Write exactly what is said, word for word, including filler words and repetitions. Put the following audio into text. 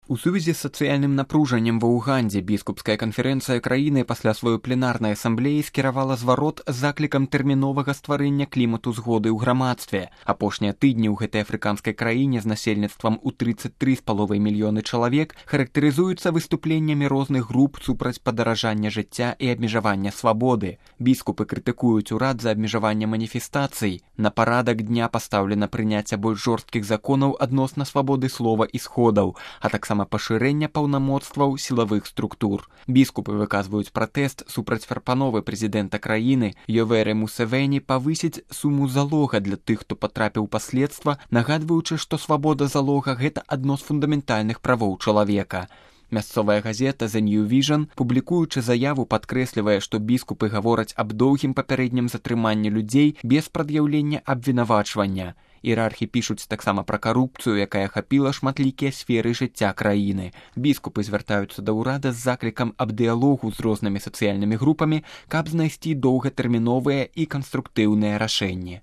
У сувязі з сацыяльным напружаннем ва Угандзе біскупская канферэнцыя краіны пасля сваёй пленарнай асамблеі скіравала зварот з заклікам тэрміновага стварэння клімату згоды ў грамадстве. Апошнія тыдні ў гэтай афрыканскай краіне з насельніцтвам у трыццаць тры з паловай мільёны чалавек характарызуюцца выступленнямі розных груп супраць падаражання жыцця і абмежавання свабоды. Біскупы крытыкуюць урад за абмежаванне маніфестацый. На парадак дня пастаўлена прыняцце больш жорсткіх законаў адносна свабоды слова і сходаў, а таксама пашырэння паўнамоцтваў сілавых структур. Біскупы выказваюць пратэст супраць прапановы прэзідэнта краіны Йоверы Мусевені павысіць суму залога для тых, хто патрапіў у паследства, нагадваючы, што свабода залога – гэта адно з фундаментальных правоў чалавека. Мясцовая газета The New Vision, публікуючы заяву, падкрэслівае, што біскупы гавораць аб доўгім папярэднім затрыманні людзей без прад'яўлення абвінавачвання. Іерархі пішуць таксама пра карупцыю, якая ахапіла шматлікія сферы жыцця краіны. Біскупы звяртаюцца да ўрада з заклікам аб дыялогу з рознымі сацыяльнымі групамі, каб знайсці доўгатэрміновыя і канструктыўныя рашэнні.